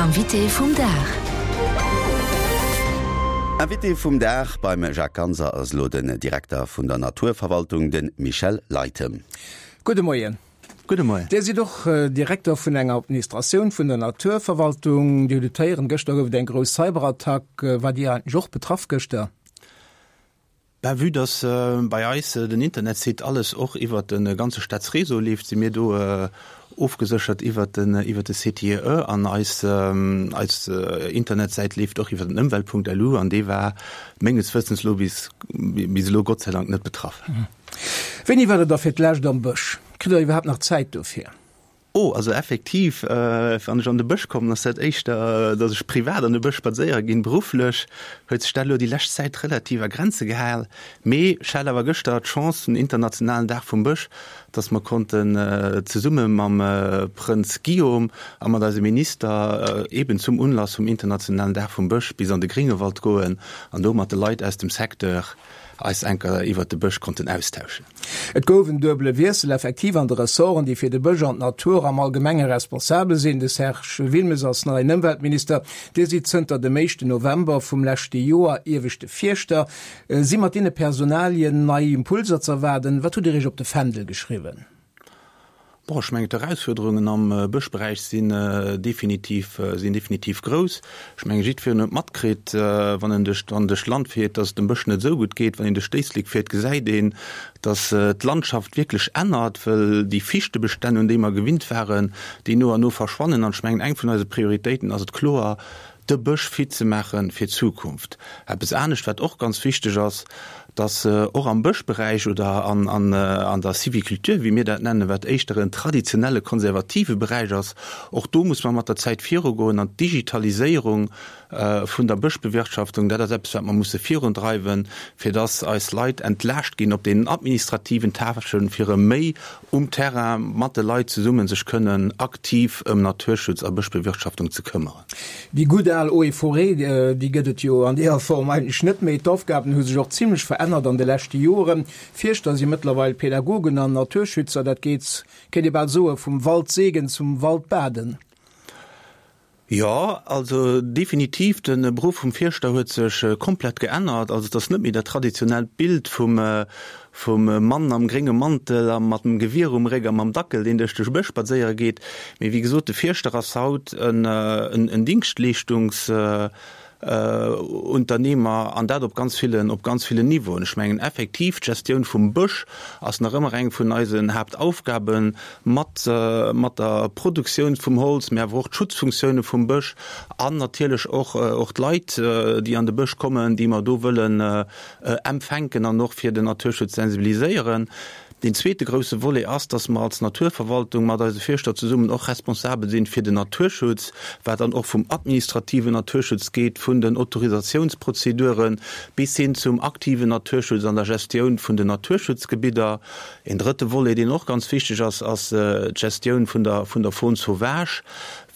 Invité vum Dag. Invité vum Dag beim Jacques Ganser ass elo den Direkter vun der Naturverwaltung, de Michel Leytem. Gudde Moien. Gudde Moien. Dir sidd och Direkter vun enger Administratioun vun der Naturverwaltung. Dir hutt et héieren, gëschter gouf et eng grouss Cyberattack. Waart Dir eigentlech och betraff gëschter? Ben, vue dass bei eis den Internetsite alles och iwwert de ganze Staatsréseau leeft, si mir do ofgeséchert iwwert den iwwert de CTIE an eis eis Internetsäit leeft och iwwert den Ëmwelt.lu an dee war menges Wëssens elo bis bis elo Gott sei Dank net betraff. Wéini waart Der da fir d'lescht am Bësch? Kritt Der iwwerhaapt nach Zäit dofir? Oh, also effektiv, wann ech an de Bësch kommen, ass dat éischter, datt ech privat an de Bësch spadséiere ginn. Berufflech huet sech dat elo déi lescht Zäit relativ a Grenze gehal. Mee ech hat awer gëschter d'Chance, den internationalen Dag vum Bësch, datt mer konnten zesumme mam Prënz Guillaume a mat eise Minister eeben zum Unlass vum internationalen Dag vum Bësch bis an de Gréngewald goen an do mat de Leit aus dem Secteur eis enker iwwert de Bësch konnten austauschen. Et gouf en duebele Wiessel effektiv an de Ressorten, déi fir de Bësch an d'Natur am Allgemenge responsabel sinn. De Serge Wilmes ass neien Ëmweltminister. Dir sidd zënter dem éischten November vum leschte Joer ieweschte Fierschter. Si mat deene Personalien nei Impulser z'erwaarden? Wat hutt Dir Iech op de Fändel geschriwwen? Bon, ech mengen, d'Erausfuerderungen am Bëschberäich sinn definitiv, sinn definitiv grouss. Ech mengen, jiddwereen huet matkritt, wann en duerch, wann en duerch d'Land fiert, dass et dem Bësch net esou gutt geet. Wann een duerch d'Éislek fiert, gesäit een, dass d'Landschaft wierklech ännert, well déi Fichtebestänn, un déi mer gewinnt waren, déi no an no verschwannen. An ech mengen, eng vun eise Prioritéiten ass et kloer, de Bësch fit ze maache fir d'Zukunft. Eppes anescht, wat och ganz wichteg ass, dass och am Bëschberäich oder an der Sylviculture, wéi mir dat nennen, wat éischter en traditionelle konservative Beräich ass, och do muss mer mat der Zäit virugoen an d'Digitaliséierung vun der Bëschbewirtschaftung, dat ass eppes, wat mer musse virundreiwen, fir dass eis Leit entlaascht ginn op deenen administrativen Tâchen, fir erëm méi um Terrain mat de Leit zesumme sech kënnen aktiv ëm Naturschutz a Bëschbewirtschaftung ze këmmeren. Déi gutt al Eaux et Forêts, déi gëtt et jo an deeër Form eigentlech net méi. D'Aufgaben hu sech och zimlech verännert an de leschte Joren. Fierschter si mëttlerweil Pädagogen an Naturschützer. Dat geet, kéint ee bal soen, vum Waldseegen zum Waldbaden. Jo, also definitiv, de Beruff vum Fierschter huet sech komplett geännert. Also et ass net méi dat traditionellt Bild vum vum Mann am grénge Mantel a mat dem Gewier um Réck a mam Dackel, deen duerch de Bësch spadséiere geet. Mee wéi gesot, de Fierschter ass haut en Dingschtleeschtungs Unternehmer, an dat op ganz villen, op ganz villen Niveauen. Ech mengen effektiv, d'Gestioun vum Bësch ass nach ëmmer eng vun eisen Haaptaufgaben, mat, mat der Produktioun vum Holz, mä awer och d'Schutzfunktioune vum Bësch an natierlech och, och d'Leit, déi an de Bësch kommen, déi mer do wëllen empfänken an och fir den Naturschutz sensibiliséieren. Deen zweete grousse Volet ass, dass mer als Naturverwaltung mat eise Fierschter zesummen och responsabel sinn fir den Naturschutz, wat dann och vum administrativen Naturschutz geet, vun den Autorisatiounsprozedure bis hin zum aktiven Naturschutz an der Gestioun vun den Naturschutzgebidder. En drëtte Volet, deen och ganz wichteg ass, ass d'Gestioun vun der vun der Faune sauvage,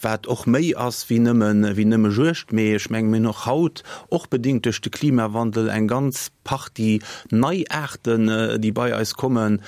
wat och méi ass wéi nëmme wéi nëmme Juegd. Mee ech menge mir hunn och haut, och bedingt duerch de Klimawandel, eng ganz Partie nei Aarten, déi bei eis kommen,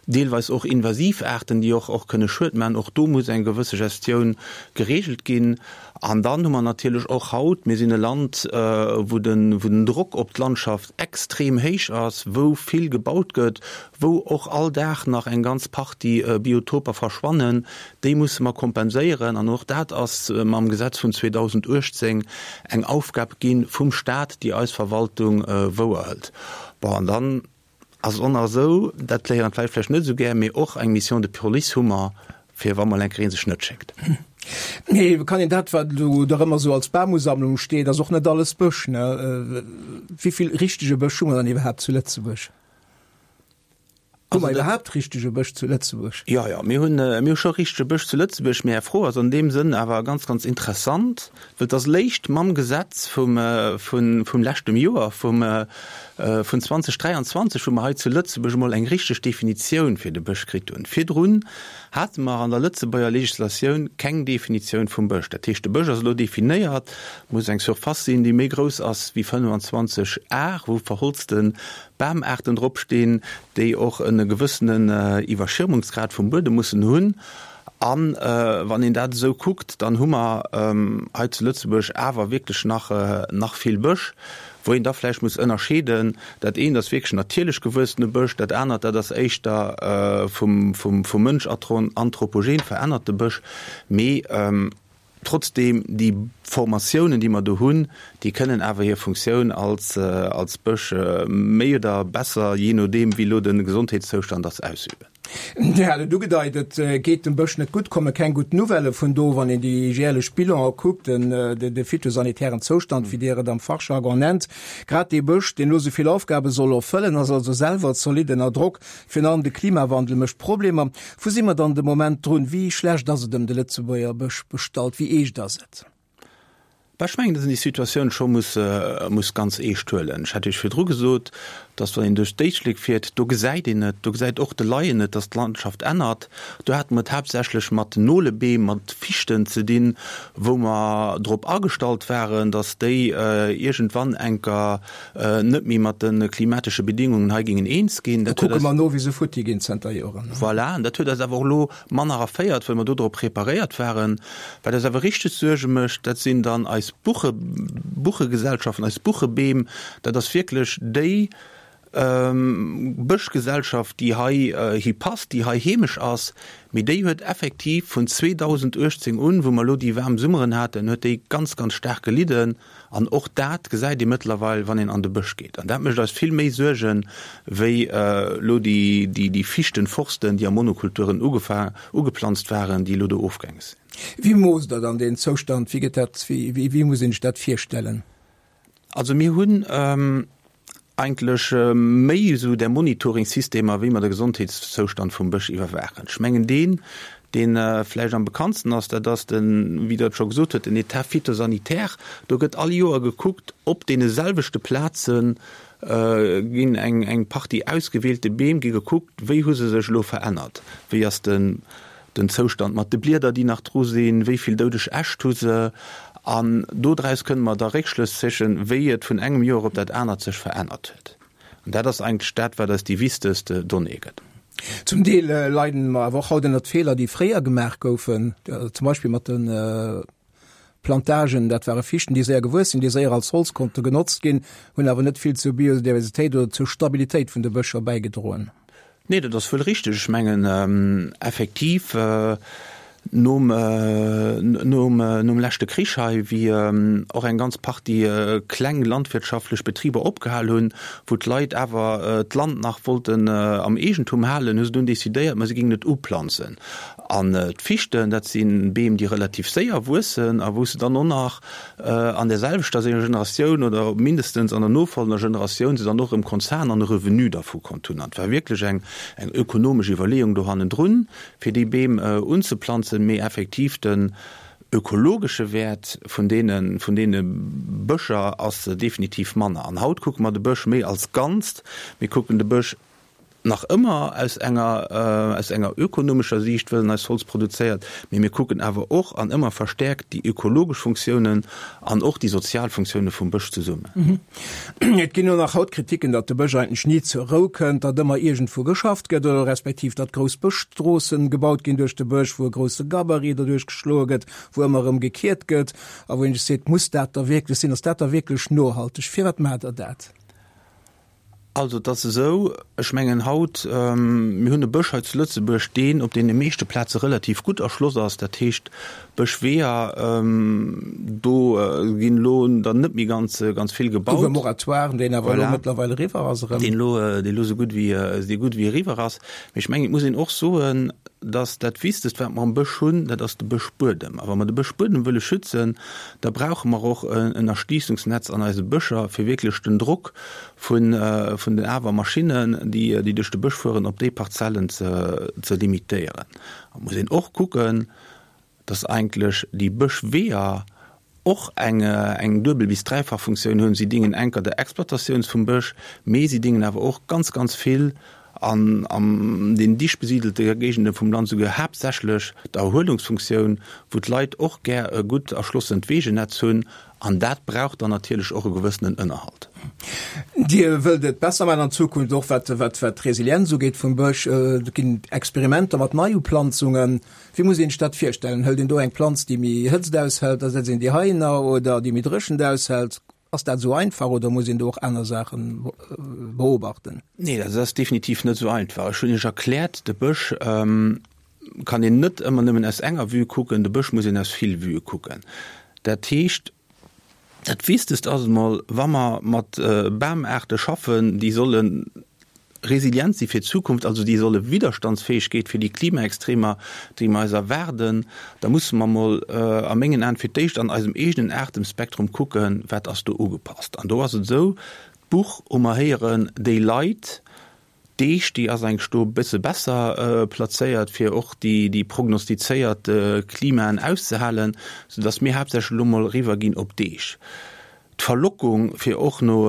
deelweis och invasiv Aarten, déi och och kënne Schued maachen. Och do muss eng gewësse Gestioun geregelt ginn. An dann hu mer natierlech och haut, mir sinn e Land, wou den, wou den Drock op d'Landschaft extrem héich ass, wou vill gebaut gëtt, wou och all Dag nach eng ganz Partie Biotoper verschwannen, Déi musse mer kompenséieren an och dat ass mam Gesetz vun 2018 eng Aufgab gi vum Stat, déi eis Verwaltung wouerhëlt. Bon, an dann ass et och nach esou, dat léieren d'Leit vläicht net esou gär, mee och eng Mission de police hu mer, fir wa mol eng Kéier ee sech net schéckt. Mee kann een dat, wat elo dach ëmmer esou als Bamusammlung steet, ass och net alles Bësch, ne? Wéi vill richtege Bësch hu mer dann iwwerhaapt zu Lëtzebuerg? Hu mer iwwerhaapt richtege Bësch zu Lëtzebuerg? Jo, jo, mir hunn, mir hu scho richtege Bësch zu Lëtzebuerg. Mee Är Fro ass an deem Sënn awer ganz, ganz interessant, well et ass léischt mam Gesetz vum, vun, vum leschtem Joer, vum, vun 2023, wou mer hei zu Lëtzebuerg emol eng richteg Definitioun fir de Bësch kritt hunn. Virdrun hate mer an der Lëtzebuerger Legislatioun keng Definitioun vum Bësch. Dat heescht, de Bësch ass elo definéiert, muss eng Surface sinn, déi méi grouss ass wéi 25 Ar, wou verholzte Bamaarten drop stinn, déi och e gewëssenen Iwwerschirmungsgrad vum Buedem mussen hunn. An wann een dat esou kuckt, dann hu mer hei zu Lëtzebuerg awer wierklech nach, nach vill Bësch, wou een da vläicht muss ënnerscheeden, dat eent ass wierklech natierlech gewuessene Bësch, dat anert, dat ass éischter vum, vum, vum Mënsch anthropogen verännerte Bësch. Mee trotzdeem, déi Formatiounen, déi mer do hunn, déi kënnen awer hir Funktioun als, als Bësch méi oder besser, jee nodeem wéi elo de Gesondheetszoustand ass, ausüben. Dir hat et ugedeit, et geet dem Bësch net gutt, komme keng gutt Nouvellë vun do, wann een déi jäerlech Bilanen kuckt, den, de phytosanitären Zoustand, wéi Dir et am Fachjargon nennt. Grad dee Bësch, deen elo esou vill Aufgabe soll erfëllen, ass also selwer zolidd ënner Drock. Virun allem de Klimawandel mécht Problemer. Wou si mer dann de Moment drun? Wéi schlecht ass et ëm de Lëtzebuerger Bësch bestallt? Wéi eescht ass et? Bah, ech mengen, datt een déi Situatioun scho muss, muss ganz eescht huelen. Ech hat Iech virdru gesot, datt wann een duerch d'Éislek fiert, do gesäit een et, do gesäit och de Laien et, datt d'Landschaft ännert. Do hate mer et haaptsächlech mat Nolebeem, mat Fichten ze dinn, wou mer drop agestallt waren, datt déi iergendwann enker net méi mat de klimatesche Bedingungen hei géingen eens ginn. Da kucke mer no, wéi se futti ginn zënter Joren. Voilà, an dat huet eis awer och elo manner erféiert, well mer do drop preparéiert waren. Wat eis awer richteg Suerge mécht, dat sinn dann eis Buche, Buchegesellschaften, eis Buchebeem. Dat ass wierklech déi Bëschgesellschaft, déi hei hi passt, déi hei heemesch ass. Mee déi huet effektiv vun 2018 un, wou mer elo déi waarm Summeren haten, huet déi ganz, ganz staark gelidden. An och dat gesäit ee mëttlerweil, wann een an de Bësch geet. An dat mécht eis vill méi Suergen, wéi elo déi Fichtenforsten, déi a Monokulturen ugeplanzt waren, déi elo do ofgaange sinn. Wéi moosst Der dann deen Zoustand? Wéi gëtt dat, wéi muss een sech dat virstellen? Also mir hunn eigentlech méi esou där Monitoring-Systemer, wéi mer de Gesondheetszoustand vum Bësch iwwerwaachen. Ech mengen deen, dee vläicht am bekanntsten ass, dat ass den, wéi Der et scho gesot hutt, den État phytosanitaire. Do gëtt all Joer gekuckt, op deene selwechte Plaze ginn eng eng Partie ausgewielte Beem gi gekuckt, wéi hu se sech elo verännert, wéi ass den den Zoustand mat de Blieder, déi nach dru sinn, wéi vill doudeg Äscht hu se, an dodraus kënne mer da Réckschlëss zéchen, wéi et vun engem Joer op dat anert sech verännert huet. An dat ass eigentlech dat, wat eis déi wichtegst Donnée gëtt. Zum Deel leiden mer awer och haut ënnert Feeler, déi fréier gemaach goufen, zum Beispill mat de Plantagen. Dat ware Fichten, déi séier gewuess sinn, déi séier als Holz konnte genotzt ginn, hunn awer net vill zur Biodiversitéit oder zur Stabilitéit vun de Bëscher bäigedroen. Nee, dat ass wuel richteg. Ech mengen effektiv, nom, nom, nom leschte Krich hei, wéi och eng ganz Partie kleng landwirtschaftlech Betriber opgehal hunn, wou d'Leit awer d'Land nach wollten am Eegentum halen, hu se dunn decidéiert, ma si géingen et uplanzen. An d'Fichten, dat si Beem, déi relativ séier wuessen a wou s de dann och nach an där selwechter Generatioun oder mindestens an der nofolgender Generatioun se dann och erëm konnt zahlen an e Revenu dervu konnt hunn. An et war wierklech eng eng ökonomesch Iwwerleeung do hannendrun, fir déi Beem unzeplanzen, mee effektiv den ökologesche Wäert vun deene vun deene Bëscher ass definitiv manner. An haut kucke mer de Bësch méi als Ganzt. Mir kucken de Bësch Nach ëmmer aus enger, aus enger ökonomescher Siicht, wëll en eis Holz produzéiert, mee mir kucken awer och an ëmmer verstärkt déi ökologesch Funktiounen an och déi sozial Funktioune vum Bësch zesummen. Et ginn och nach haut Kritiken, datt de Bësch eigentlech ni zur Rou kënnt, datt ëmmer iergendwou geschafft gëtt oder respektiv datt grouss Bëschstroossen gebaut ginn duerch de Bësch, wou e grousse Gabarit derduerch geschloe gëtt, wou ëmmer erëm gekiert gëtt a wou een sech seet, Muss dat da wierklech sinn? Ass dat da wierklech nohalteg? Firwat maacht Der dat? Also et ass esou, ech mengen haut, mir hunn e Bësch hei zu Lëtzebuerg, deen op deene meeschte Plaze relativ gutt erschloss ass. Dat heescht, Bëschweeër, do ginn elo der net méi ganz, ganz vill gebaut. Gouf e Moratoire, deen awer elo mëttlerweil eriwwer ass erëm. Deen elo, deen elo esou gutt wéi, esou gutt wéi eriwwer ass. Mee ech mengen, et muss een och soen, dass dat Wichtegst, wat mer am Bësch hunn, dat ass de Bëschbuedem. A wa mer de Bëschbuedem wëlle schützen, da brauche mer och en Erschliissungsnetz an eise Bëscher, fir wierklech den Drock vun vun den awer Maschinnen, déi déi duerch de Bësch fueren, op déi Parzellen ze ze limitéieren. Et muss een och kucken, dass eigentlech déi Bëschweeër och eng eng duebel bis dräifach Funktioun hunn. Si dingen enker der Exploitatiouns vum Bësch, mee si dingen awer och ganz, ganz vill. An an den dicht besiedelte Géigende vum Land souguer haaptsächlech d'Erhuelungsfunktioun, wou d'Leit och gär e gutt erschlossent Wegenetz hunn. An dat brauch dann natierlech och e gewëssenen Ënnerhalt. Dir wëllt et besser maachen an Zukunft, och wat wat d'Resilienz ugeet vum Bësch. Et ginn Experimenter mat Neiuplanzungen. Wéi muss een sech dat virstellen? Hëlt een do eng Planz, déi méi Hëtzt aushält, da setzt een déi heihinner, oder déi méi Dréchent aushält? Ass dat esou einfach oder muss een do och aner Saache beobachten? Nee, dat ass definitiv net esou einfach. Ech hunn Iech erkläert, de Bësch kann een net ëmmer nëmmen aus enger Vue kucken, de Bësch muss een aus vill Vuë kucken. Dat heescht, dat Wichtegst ass emol, wa mer mat Bamaarte schaffen, déi solle resilient si fir d'Zukunft, also déi solle Widderstandsfäegkeet fir déi Klimaextremer, déi mer eis erwaarden, da musse mer emol a mengen Aen fir d'éischt an eisem eegenen Aartemspektrum kucken, wat ass do ugepasst. An do ass et esou, d'Buch hu mer héieren, déi leit, d'Eech, déi ass eigentlech do e bësse besser plazéiert, fir och déi prognostizéiert Klimaen auszehalen, soudass mir haaptsächlech elo mol eriwwerginn op d'Eech. D'Verlockung, fir och no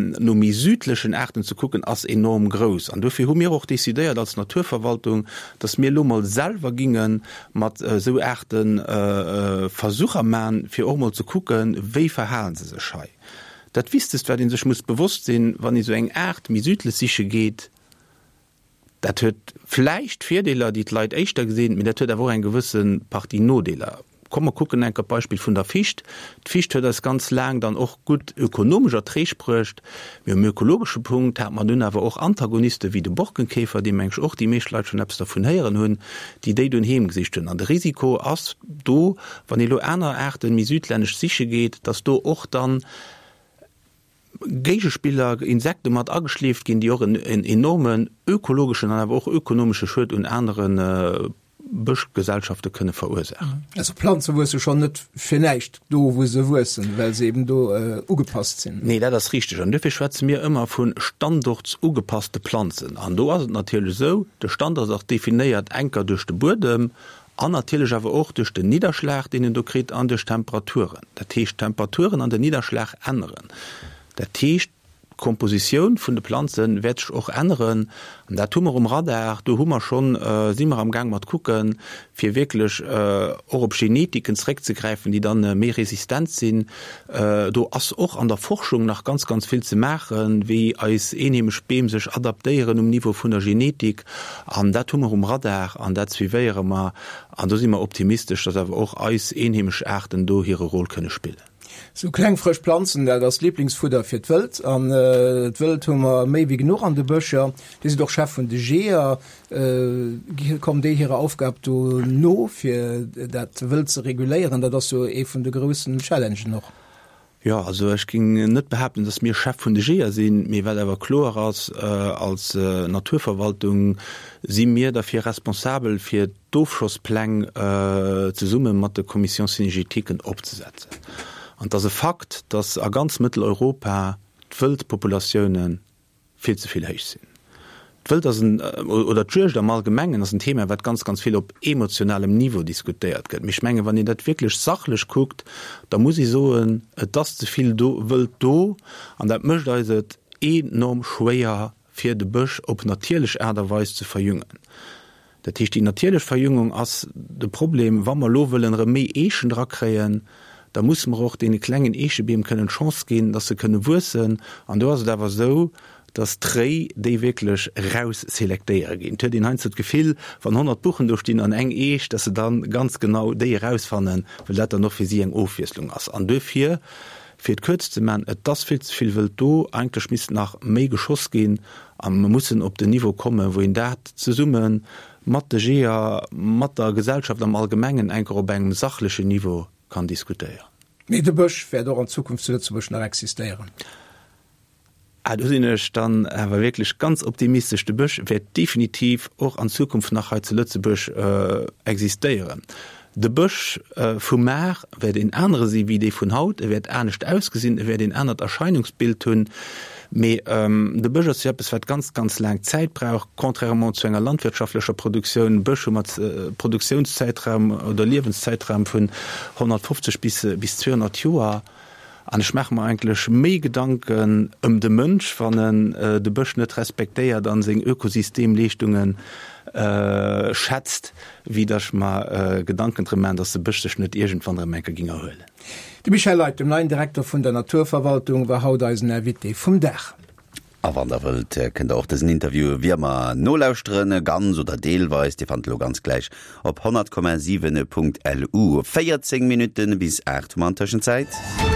no méi südlechen Aarten ze kucken, ass enorm grouss. An dofir hu mir och decidéiert als Naturverwaltung, dass mir elo mol selwer ginge mat esou Aarte Versucher man, fir och mol ze kucken, wéi verhale se sech hei. Dat Wichtegst, wat ee sech muss bewosst sinn, wann ee sou eng Aart méi südlech siche geet, Dat huet vläicht Virdeeler, déi d'Leit éischter gesinn, mee dat huet awer och eng gewësse Partie Nodeeler. Komm mer kucken enker d'Beispill vun der Ficht. D'Ficht huet eis ganz laang dann och gutt ökonomesch Erträg bruecht, mee um ökologesche Punkt hate mer dunn awer och Antagoniste wéi de Borkenkäfer, dee meng ech och déi meescht Leit schonn eppes dervun héieren hunn, déi déi dunn heemgesicht hunn. An de Risiko ass do, wann ee lo aner Aarten méi südlännesch siche geet, dass do och dann Géigespiller, Insekte mat ageschleeft ginn, déi och en enormen ökologeschen an awer och ökonomesche Schued un anere Bëschgesellschafte kënne verursaachen. Also Planze wuesse schonn net fir näischt do, wou se wuessen, well se eben do ugepasst sinn. Nee, dat ass richteg. An duerfir schwätze mir ëmmer vu standortsugepasste Planzen. An do ass et natierlech esou, de Standort ass definéiert enker duerch de Buedem An natierlech awer och duerch den Nidderschlag, deen en do kritt, an duerch d'Temperaturen. Dat heescht, d'Temperaturen an den Nidderschlag änneren. Dat heescht, d'Kompositioun vun de Planze wäert sech och änneren. An dat hu mer um Radar. Do hu mer schonn, si mer amgaang mat kucken, fir wierklech och op Genetiken zréckzegräifen, déi dann méi resistent sinn. Do ass och an der Forschung nach ganz, ganz vill ze maachen, wéi eis eenheemesch Beem sech adaptéieren um Niveau vun der Genetik. An dat hu mer um Radar an dat suivéiere mer. An do si mer optimistesch, dass awer och eis eenheemesch Aarten do hire Rôle kënne spillen. Sou kleng frësch Planzen, dat ass d'Liblingsfudder fir d'Wëld. An d'Wëld hu mer méi wéi genuch an de Bëscher. Dir sidd och Chef vun de Jeeër. Kommen déi hirer Aufgab do no, fir dat Wëld ze reguléieren? Dat ass jo ee vun de groussen Challengen och. Jo, also ech géing net behaapten, datt mir Chef vun de Jeeër sinn, mee wat awer kloer ass, als Naturverwaltung si mir derfir responsabel, fir d'Ofschosspläng zesumme mat de Commissions cynégétiquen opzesetzen. An et ass e Fakt, datt a ganz Mëtteleuropa d'Wëldpopulatiounen vill ze vill héich sinn. D'Wëld ass en, oder d'Juegd am Allgemengen ass en Thema, wat ganz, ganz vill op emotionalem Niveau diskutéiert gëtt. Mee ech mengen, wann een dat wierklech sachlech kuckt, da muss ee soen, et ass ze vill do, Wëld do an dat mécht eis et enorm schwéier, fir de Bësch op natierlech Aart a Weis ze verjüngen. Dat heescht, déi natierlech Verjüngung ass de Problem. Wa mer elo wëllen erëm méi Eechen drakréien, da musse mer och deene klengen Eechebeem kënnen d'Chance ginn, dass se kënne wuessen. An do ass et awer esou, dass d'Réi déi wierklech erausselektéiere ginn. Et huet een heiansdo d'Gefill, wann 100 Buchen do stinn an eng Eech, dass se dann ganz genau déi erausfannen, well dat dann och fir si eng Ofwiesslung ass. An duerfir, fir et kuerz ze man, et ass vill ze vill Wëld do. Eigentlech misst nach méi geschoss ginn. A mer mussen op den Niveau kommen, wou een dat zesumme mat de Jeeër, mat der Gesellschaft am Allgemengen enker op engem sachlechen Niveau kann diskutéieren. Mee de Bësch wäert och an Zukunft zu Lëtzebuerg nach existéieren? Ah, do sinn ech dann awer wierklech ganz optimistesch. De Bësch wäert definitiv och an Zukunft nach hei zu Lëtzebuerg existéieren. De Bësch vu mar wäert een anere si wéi dee vun haut. E wäert anescht ausgesinn, e wäert een anert Erscheinungsbild hunn. Mee de Bësch ass jo eppes, wat ganz, ganz laang Zäit brauch, contrairement zu enger landwirtschaftlecher Produktioun. Bësch hu mat Produktiounszäitraum oder Liewenszäitraum vun 150 bis 200 Joer. An ech maache mer eigentlech méi Gedanken ëm de Mënsch, wann en de Bësch net respektéiert a seng Ökosystemleeschtunge schätzt, wéi datt ech mer Gedanken drëm maachen, datt de Bësch sech net iergendwann erëm eng Kéier géing erhuelen. De Michel Leytem, neien Direkter vun der Naturverwaltung, war haut eisen Invité vum Dag. A wann der wëllt, kënnt der och dësen Interview wéi ëmmer nolauschteren, ganz oder deelweis. Dir fannt elo ganz gläich op 100,7.lu. 14 Minutten bis 8 hu mer an Tëschenzäit.